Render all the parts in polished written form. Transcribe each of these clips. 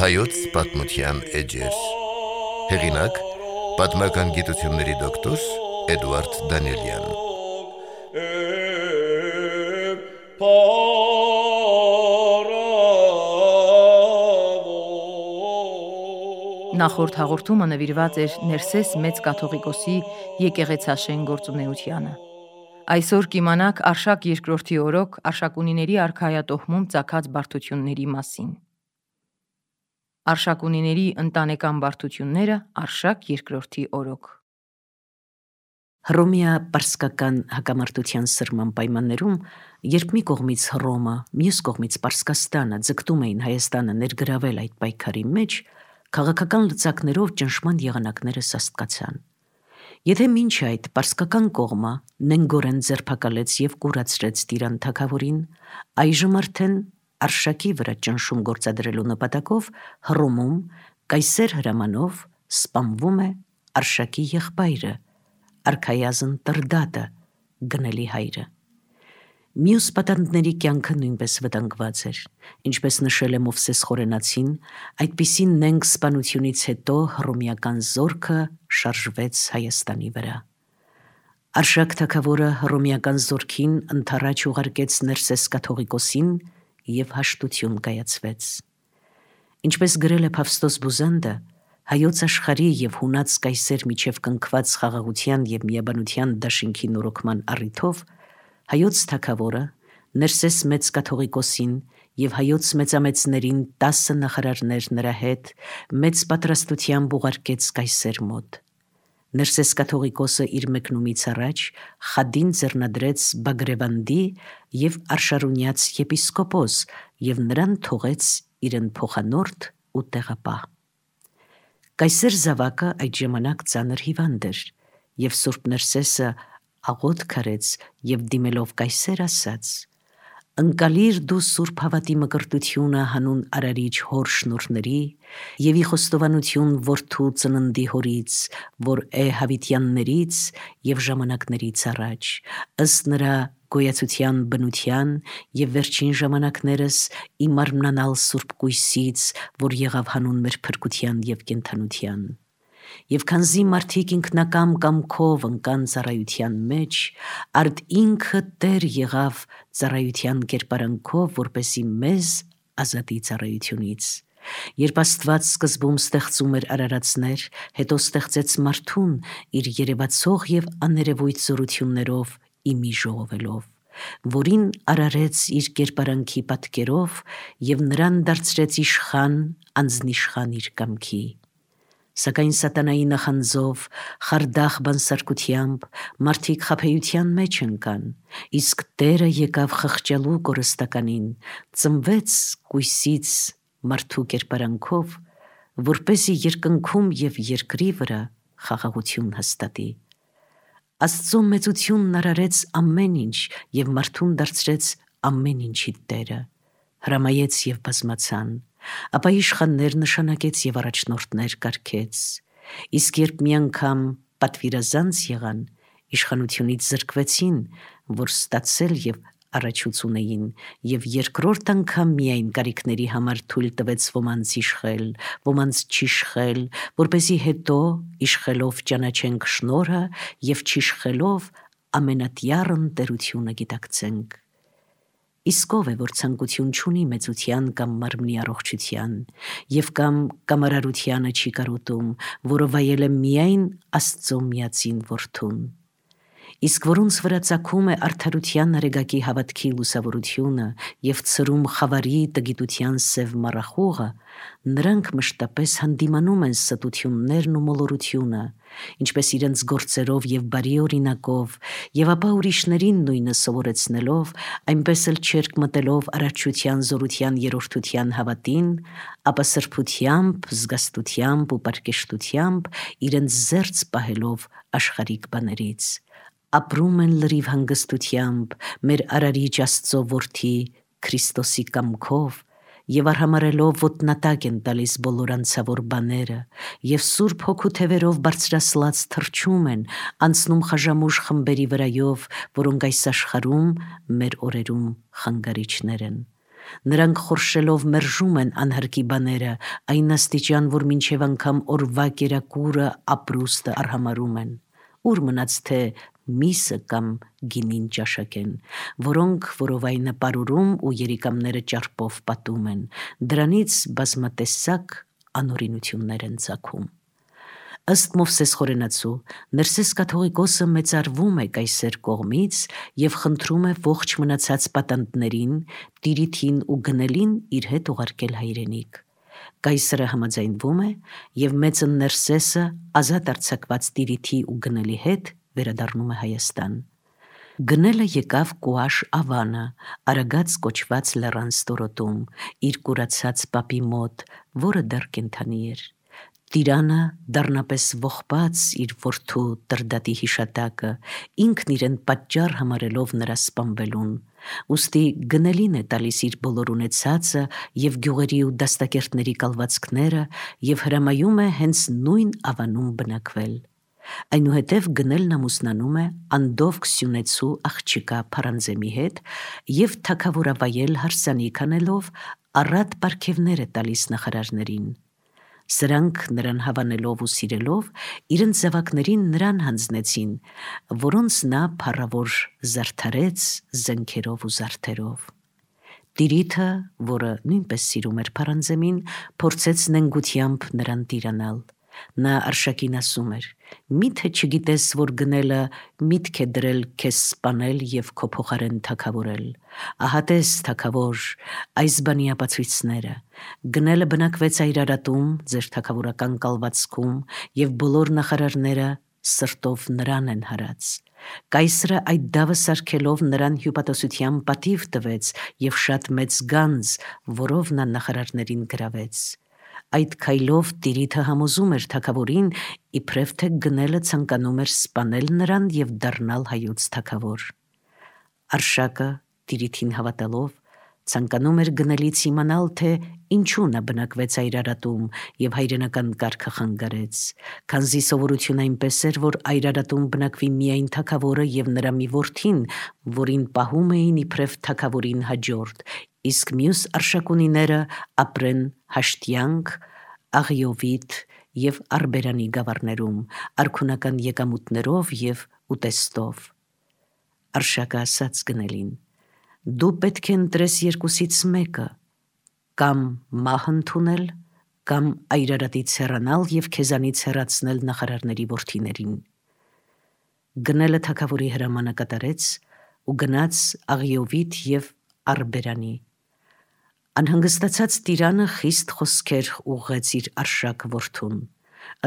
Հայոց պատմության էջեր։ Հեղինակ՝ պատմական գիտությունների դոկտոր Էդուարդ Դանիելյան։ Նախորդ հաղորդումը նվիրված էր Ներսես Մեծ կաթողիկոսի եկեղեցաշեն գործունեությանը։ Այսօր կիմանաք Արշակ II օրոք Արշակունիների արքայատոհմում ծագած բարդությունների մասին։ Արշակունիների ընտանեկան բարդությունները Արշակ II օրոք։ Հռոմեա-պարսկական հակամարտության սրման պայմաններում, երբ մի կողմից Հռոմը, մյուս կողմից Պարսկաստանը ձգտում էին Հայաստանը ներգրավել այդ պայքարի մեջ, քաղաքական լծակներով ճնշման եղանակները սաստկացան։ Եթե մինչ այդ պարսկական կողմը նենգորեն ձերբակալեց և կուրացրեց Տիրան թագավորին, այժմ արդեն Արշակի վրա ճնշում գործադրելու նպատակով Հռոմում կայսեր հրամանով սպանվում է Արշակի եղբայրը, արքայազն Տրդատը, գնելի հայրը։ Մյուս պատանդների կյանքը նույնպես վտանգված էր, ինչպես նշել է Մովսես Խորենացին, այդպիսի նենգ սպանությունից հետո հռոմեական զորքը շարժվեց Հայաստանի վրա։ Արշակ թագավորը հռոմեական զորքին ընդառաջ ուղարկեց Ներսես կաթողիկոսին և հաշտություն կայացվեց։ Ինչպես գրել է Փավստոս Բուզանդը, հայոց աշխարհի և հունած կայսեր միջև կնքված խաղաղության և միաբանության դաշինքի նորոգման առիթով հայոց թագավորը Ներսես Մեծ կաթողիկոսին և հայոց մեծամեծներին 10 նախարարներ նրա հետ մեծ պատրաստությամբ ուղարկեց կայսեր մոտ։ Ներսես կաթողիկոսը իր մեկնումից առաջ խադին ձեռնադրեց Բագրևանդի և Արշարունյաց եպիսկոպոս և նրան թողեց իրեն փոխանորդ ու տեղապահ։ Կայսեր Զավակը այդ ժամանակ ծանր հիվանդ էր, և Սուրբ Ներսեսը աղոթք արեց և դիմելով կայսեր ասաց. «Ընկալիր դու Սուրբ հավատի մկրտությունը հանուն Արարիչ հոր շնորհների և ի խոստովանություն որդու ծննդի հորից, որ է հավիտյաններից և ժամանակներից առաջ, ըստ նրա գոյացության բնության և վերջին ժամանակներս ի մարմնանալ Սուրբ կույսից, որ եղավ հանուն մեր փրկության և կենդանության։ Եվ քանզի մարդիկ ինքնակամ կամքով ընկան ծառայության մեջ, արդ ինքը Տեր եղավ ծառայության կերպարանքով, որպեսզի մեզ ազատի ծառայությունից։ Երբ Աստված սկզբում ստեղծում էր արարածներ, հետո ստեղծեց մարդուն իր երևացող և աներևույթ զորություններով ի մի ժողովելով, որին արարեց իր կերպարանքի պատկերով և նրան դարձրեց իշխան անձնիշխան իր կամքի։ Սակայն սատանայի նախանձով, խարդախ բանսարկությամբ մարդիկ խաբեության մեջ ընկան, իսկ Տերը եկավ խղճալու կորստականին, ծնվեց կույսից մարդու կերպարանքով, որպեսզի երկնքում և երկրի վրա խաղաղություն հաստատի։ Աստծո մեծությունն արարեց ամեն ինչ և մարդուն դարձրեց ամեն ինչի Տերը, հրամայեց և բազմացան, ապա իշխաններ նշանակեց և առաջնորդներ կարգեց։ Իսկ երբ մի անգամ պատվիրազանց եղան, իշխանությունից զրկվեցին, որ ստացել և առաջուց ունեին, և երկրորդ անգամ միայն կարիքների համար թույլ տվեց ոմանց իշխել, ոմանց չիշխել, որպեսզի հետո իշխելով ճանաչենք շնորհը և չիշխելով ամենատյառն տերությունը գիտակցենք։ Իսկ ով է, որ ցանկություն չունի մեծության կամ մարմնի առողջության, և կամ կամարարությանը չի կարոտում, որը վայել է միայն Աստծո միածին Որդուն։ Իսկ որոնց վրա ծագում է արդարության արեգակի հավատքի լուսավորությունը և ցրում խավարի տգիտության սև մառախուղը, նրանք մշտապես հանդիմանում են ստություններն ու մոլորությունը, ինչպես իրենց գործերով և բարի օրինակով, և ապա ուրիշներին նույնը սովորեցնելով, այնպես էլ չերկ մտելով արարչության զորության երրորդության հավատին, ապա սրբությամբ, զգաստությամբ ու պարկեշտությամբ իրենց զերծ պահելով աշխարհիկ բաներից, ապրում են լրիվ հանգստությամբ մեր Արարիչ Աստծո Որդի Քրիստոսի կամքով եւ արհամարելով ոտնատակ են տալիս բոլոր անցավոր բաները, եւ Սուրբ Հոգու թևերով բարձրացած թրջում են, անցնում խաժամուժ խմբերի վրայով, որոնք այս աշխարհում մեր օրերում խանգարիչներ են։ Նրանք խորշելով մերժում են անհարկի բաները, այն աստիճան, որ մինչև անգամ օրվա կերակուրը ապրուստը արհամարում են։ Ուր մնաց թե միսը կամ գինին ճաշակեն, որոնք որովայնը պարուրում ու երիկամները ճարպով պատում են, դրանից բազմատեսակ անօրինություններ են ծագում։ Ըստ Մովսես խորենացու, Ներսես կաթողիկոսը մեծարվում է կայսեր կողմից եւ խնդրում է ողջ մնացած պատանդներին, տիրիթին ու գնելին իր հետ ուղարկել հայրենիք։ Կայսրը համաձայնվում է եւ մեծը Ներսեսը ազատ արձակված տիրիթի ու գնելի հետ վերադառնում է Հայաստան։ Գնելը եկավ Կուաշ Ավանը, Արագած կոչված լեռան ստորոտում, իր կուրացած պապի մոտ, որը դեռ կենդանի էր։ Տիրանը դառնապես ողբաց իր որդու Տրդատի հիշատակը, ինքն իրեն պատճառ համարելով նրա սպանվելուն, ուստի գնելին է տալիս իր բոլոր ունեցածը եւ գյուղերի ու դաստակերտների կալվածքները եւ հրամայում է հենց նույն Ավանում բնակվել։ Այնուհետև գնելն ամուսնանում է Անդովք Սյունեցու աղջիկա Փարանձեմի հետ եւ թագավորավայել հարսանիք անելով առատ պարգևներ է տալիս նախարարներին։ Սրանք նրան հավանելով ու սիրելով իրենց զավակներին նրան հանձնեցին, որոնց նա փառավոր զարդարեց զենքերով ու զարդերով։ Տիրիթը, որը նույնպես սիրում էր Փարանձեմին, փորձեց նենգությամբ նրան տիրանալ։ Նա Արշակին ասում էր. «Միթե չգիտես, որ գնելը միտք է դրել քեզ սպանել եւ քո փոխարեն թագավորել։ Ահա տես, թագավոր, այս բանի ապացույցները։ Գնելը բնակվեց Այրարատում, ձեր թագավորական կալվածքում, եւ բոլոր նախարարները սրտով նրան են հարած։ Կայսրը այդ դավը սարքելով նրան հյուպատոսության պատիվ տվեց եւ շատ մեծ գանձ, որով նա նախարարներին գրավեց։ Այդ քայլով Տիրիթը համոզում էր թագավորին, իբրև թե գնելը ցանկանում էր սպանել նրան եւ դառնալ հայոց թագավոր։ Արշակը Տիրիթին հավատալով ցանկանում էր գնելից իմանալ, թե ինչու նա բնակվեց Այրարատում եւ հայրենական կարգը խանգարեց, քանզի սովորություն այնպես էր, որ Այրարատում բնակվի միայն թագավորը եւ նրա մի որդին, որին պահում էին իբրև թագավորին հաջորդ, իսկ մյուս արշակունիները ապրեն Հաշտյանք, Աղիովիտ եւ Արբերանի գավառներում, արքունական եկամուտներով եւ ուտեստով։ Արշակը ասաց գնելին. «Դու պետք է ընտրես երկուսից մեկը, կամ մահ ընդունել, կամ Այրարատից հեռանալ եւ քեզանից հեռացնել նախարարների որդիներին»։ Գնելը թագավորի հրամանը կատարեց ու գնաց Աղիովիտ եւ Արբերանի։ Անհանգստացած տիրանը խիստ խոսքեր ուղղեց իր Արշակ որդուն։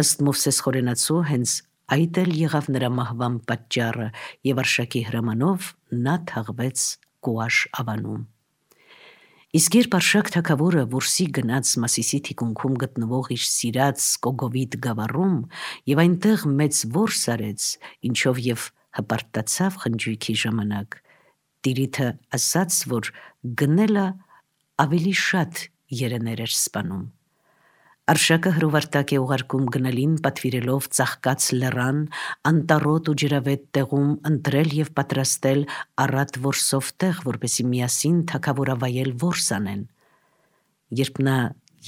Ըստ Մովսես խորենացու հենց այդ էլ եղավ նրա մահվան պատճառը եւ Արշակի հրամանով նա թաղվեց Կուաշ Ավանում։ Իսկ երբ Արշակ թագավորը որսի գնաց Մասիսի թիկունքում գտնվող իր սիրած Կոգովիտ գավառում եւ այնտեղ մեծ որս արեց, ինչով եւ հպարտացավ խնջույքի ժամանակ, Տիրիթը ասաց, որ գնելը ավելի շատ երեներ էր սպանում։ Արշակը հրովարտակ է ուղարկում գնելին պատվիրելով ծաղկած լեռան, անտառոտ ու ջրավետ տեղում ընտրել եւ պատրաստել առատ որսով տեղ, որպեսզի միասին թագավորավայել որս անեն։ Երբ նա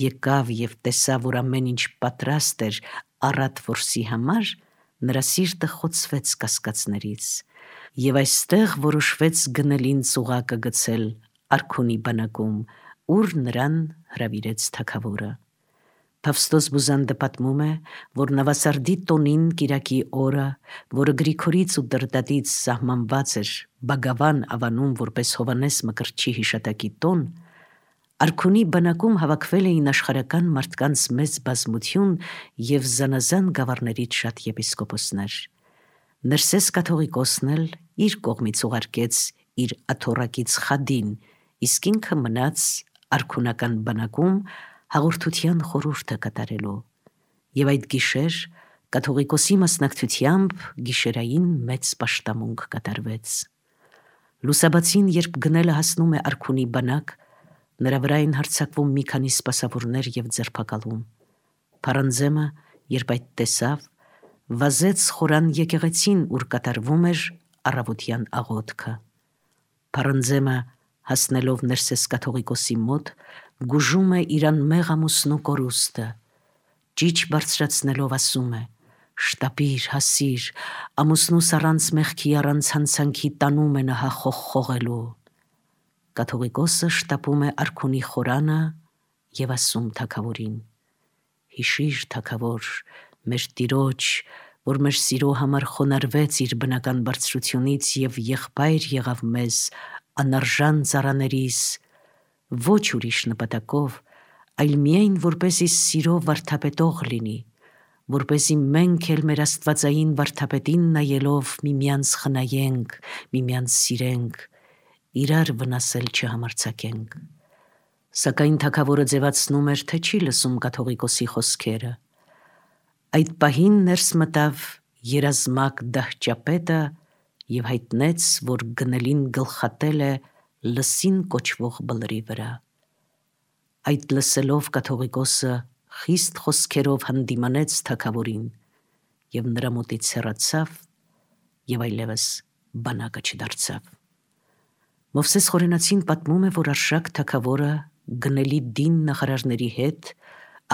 եկավ եւ տեսավ, որ ամեն ինչ պատրաստ էր առատ որսի համար, նրա սիրտը խոցվեց կասկածներից, եւ այստեղ որոշվեց գնելին ծուղակը գցել արքունի բանակում, ուր նրան հրավիրեց թագավորը։ Փավստոս Բուզանդը պատմում է, որ Նավասարդի տոնին կիրակի օրը, որը Գրիգորից ու Տրդատից սահմանված էր Բագավան Ավանում որպես Հովանես Մկրտչի հիշատակի տոն, արքունի բանակում հավաքվել էին աշխարհական մարդկանց մեծ բազմություն եւ զանազան գավառներից շատ եպիսկոպոսներ։ Ներսես կաթողիկոսն էլ իր կողմից ուղարկեց իր աթոռակից Խադին, իսկ ինքը մնաց արքունական բանակում հաղորդության խորհուրդը կատարելու։ Եվ այդ գիշեր կաթողիկոսի մասնակցությամբ գիշերային մեծ պաշտամունք կատարվեց։ Լուսաբացին, երբ գնելը հասնում է արքունի բանակ, Նրա վրա են հարձակվում մի քանի սպասավորներ եւ ձերբակալում։ Փարանձեմը, երբ այդ տեսավ, վազեց խորան եկեղեցին, ուր կատարվում էր առավոտյան աղոթքը։ Փարանձեմը, հասնելով Ներսես կաթողիկոսի մոտ, գուժում է իր անմեղ ամուսնու կորուստը, ճիչ բարձրացնելով ասում է. «Շտապիր, հասիր, ամուսնուս առանց մեղքի, առանց հանցանքի տանում է նա խողխողելու»։ Կաթողիկոսը շտապում է արքունի խորանը եւ ասում թագավորին. «Հիշիր, թագավոր, մեր Տիրոջ, որ մեր սիրո համար խոնարհվեց իր բնական բարձրությունից եւ եղբայր եղավ մեզ անարժան ծառաներիս, ոչ ուրիշ նպատակով, այլ միայն որպեսզի սիրո վարդապետող լինի, որպեսզի մենք էլ մեր աստվածային վարդապետին նայելով միմյանց խնայենք, միմյանց սիրենք, իրար վնասել չհամարձակենք»։ Սակայն թագավորը ձևացնում էր, թե չի լսում կաթողիկոսի խոսքերը։ Այդ պահին ներս մտավ երազմակ դահճապետը եւ հայտնեց, որ գնելին գլխատել է Լսին կոչվող բլրի վրա։ Այդ լսելով կաթողիկոսը խիստ խոսքերով հանդիմանեց թագավորին եւ նրա մոտից հեռացավ եւ այլևս բանակը չդարձավ։ Մովսես Խորենացին պատմում է, որ Արշակ թագավորը գնելի դին նախարարների հետ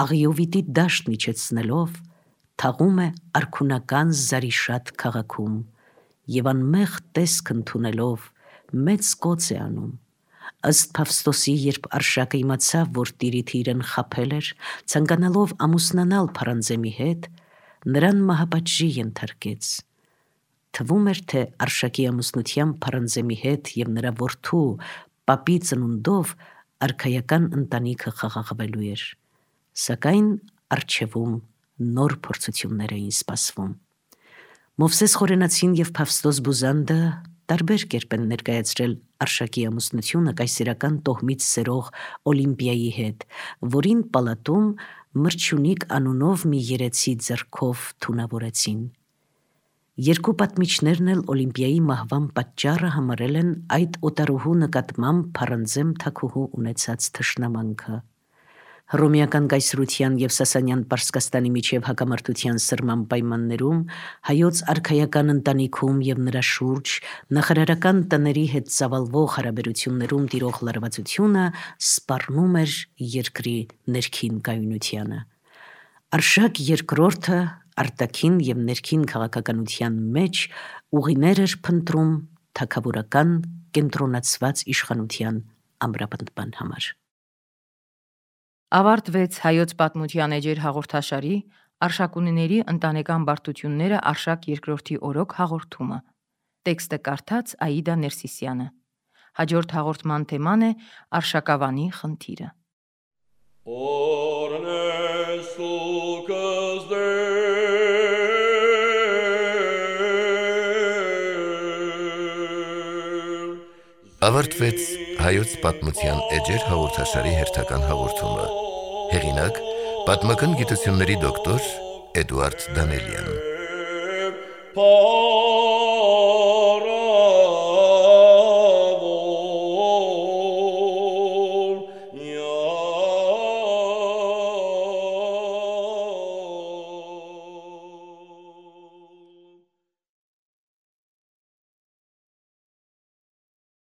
Աղիովիտի դաշտ միջեցնելով թաղում է արքունական Զարիշատ քաղաքում եւ անմեղ տեսք ընդունելով մեծ կոծ է անում։ Ըստ Փավստոսի, երբ Արշակը իմացավ, որ Տիրիթը իրեն խաբել էր, ցանկանալով ամուսնանալ Փարանձեմի հետ, նրան մահապատժի ենթարկեց։ Թվում էր, թե Արշակի ամուսնությամբ Փարանձեմի հետ եւ նրա որդու պապի ծնունդով արքայական ընտանիքը խաղաղվելու էր։ Սակայն առջևում նոր փորձություններ էին սպասվում։ Մովսես Խորենացին եւ Փավստոս Բուզանդը տարբեր կերպ են ներկայացրել Արշակի ամուսնությունը կայսերական տոհմից սերող Օլիմպիայի հետ, որին պալատում Մրջունիկ անունով մի երեցի ձեռքով թունավորեցին։ Երկու պատմիչներն էլ Օլիմպիայի մահվան պատճառը համարել են այդ օտարուհու նկատմամբ Փարանձեմ թագուհու ունեցած թշնամանքը։ Հռոմեական կայսրության եւ Սասանյան Պարսկաստանի միջև հակամարտության սրման պայմաններում հայոց արքայական ընտանիքում եւ նրա շուրջ նախարարական տների հետ ծավալվող հարաբերություններում տիրող լարվածությունը սպառնում էր երկրի ներքին կայունությանը։ Արշակ երկրորդը արտաքին եւ ներքին քաղաքականության մեջ ուղիներ էր փնտրում թագավորական կենտրոնացված իշխանության ամրապնդման համար։ Ավարտվեց հայոց պատմության էջեր հաղորդաշարի Արշակունիների ընտանեկան բարդությունները Արշակ երկրորդի օրոք հաղորդումը։ Տեքստը կարդաց Աիդա Ներսիսյանը։ Հաջորդ հաղորդման թեման է Արշակավանի խնդիրը։ Ավարտվեց հայոց պատմության էջեր հաղորդաշարի հերթական հաղորդումը։ Հեղինակ՝ պատմական գիտությունների դոկտոր Էդուարդ Դանելյան։